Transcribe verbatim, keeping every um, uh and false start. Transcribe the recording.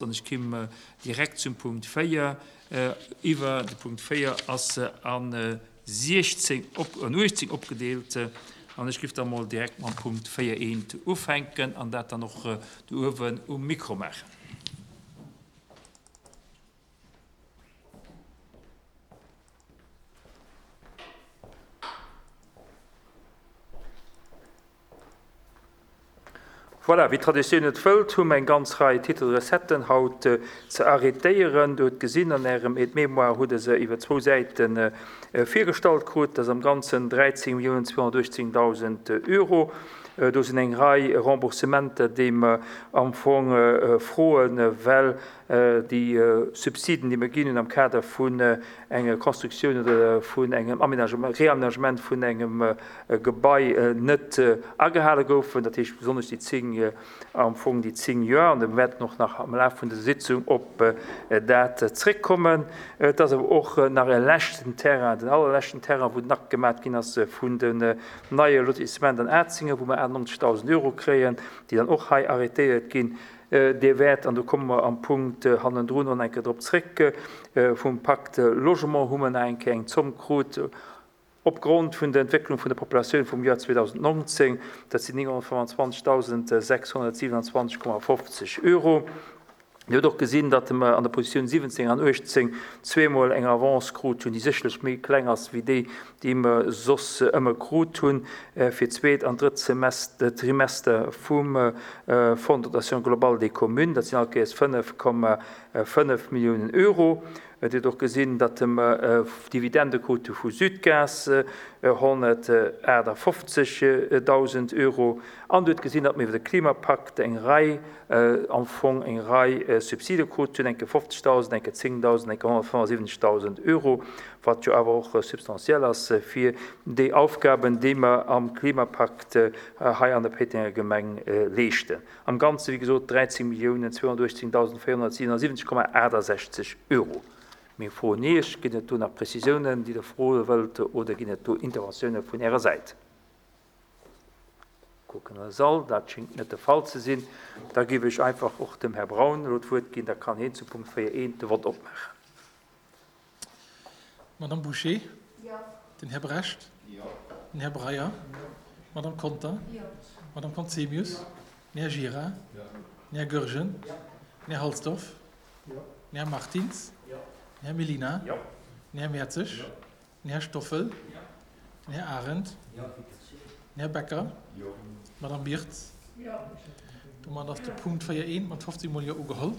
An ech kimm direkt zum Punkt véier iwwer. De Punkt véier ass a siechzéng op, an uechtzéng opgedeelt. An ech giff da mol direkt mam Punkt véier eent ufänken an dat dann och do uewen um Mikro maachen. Voilà, wéi d'Traditioun et wëllt, hu mer eng ganz Rei Titres de recetten haut ze arrétéieren. Dir hutt gesinn, an Ärem Aide-mémoire hutt Der se iwwer zwou Säite virgestallt krut. Dat ass am Ganzen dräizéng Milliounen zweehonnertuechtzéngdausend Euro. Do sinn eng Rei Remboursementer, déi mer am Fong froen, well déi Subsiden, déi mer ginn hunn am Kader vun enger Constructioun oder vun engem Aménagement, Réaménagement vun engem Gebai net agehale goufen, dat heescht besonnesch déi zéng, am Fong déi zéng Joer, an da wäerten och nach am Laf vun dëser Sitzung op dat zréckkommen. Et ass awer och nach e leschten Terrain, den allerleschten Terrain, wou den Akt gemat ginn ass vun den neie Lotissement an Atzinger, wou mer achtennonzegdausend Euro kréien, déi dann och hei arrétéiert ginn. Dir wäert, an do komme mer am Punkt hannendrun och nach eng Kéier drop zréck, vum Pacte Logement hu mer nach eng Kéier eng Zomm krut opgrond vun der Entwécklung vun der Populatioun vum Joer zweedausendnonzéng. Dat sinn nénghonnertfëmmandzwanzegdausend sechshonnertsiwenundzwanzeg Komma fofzeg Euro. Dir hutt och gesinn, datt mer an der Positioun siwwenzéng an uechtzéng zweemol eng Avance krut hunn, déi sécherlech méi kleng ass wéi déi, déi mer soss ëmmer krut hunn fir d'zweet an drëtt Trimester vum Fonds de dotation globale des communes. Dat sinn all Kéiers fënnef Komma fënnef Milliounen Euro. Dir hutt och gesinn, datt mer Dividende krut hu vu Südgas, honnertaachtafoffzegdausend Euro. An Dir hutt gesinn, datt mer iwwer de Klimapakt eng Rei, am Fong eng Rei Subside krut hunn, eng Kéier fofzegdausend, eng Kéier zéngdausend, eng Kéier honnertfënnefundsiwwenzegdausend Euro, wat jo awer och substantiell ass fir déi Aufgaben, déi mer am Klimapakt hei an der Péitenger Gemeng leeschten. Am Ganze, wéi gesot, dräizéng Milliounen zweehonnertuechtzéngdausend véierhonnertsiwenundsiwwenzeg Komma aachtasechzeg Euro. Meng Fro un Iech, Ginn et do nach Prezisiounen, déi Der froe wëllt, oder ginn et do Interventioune vun Ärer Säit? Kucken an de Sall, dat schéngt net de Fall ze sinn. Da géif ech einfach och dem Här Braun elo d'Wuert ginn, da kann hien zu Punkt véier eent de Vott opmaachen. D'Madame Bouché? Den Här Brecht? Den Här Breyer? D'Madame Conter? D'Madame Conzemius? Den Här Gira? Den Här Goergen? Den Här Halsdorf? Den Här Martins? Den Här Mellina? Den Här Mertzig? Den Här Stoffel? Den Här Arendt? Den Här Becker? D'Madame Birtz? Domat ass de Punkt véier eent mat fofzéng Mol Jo ugeholl.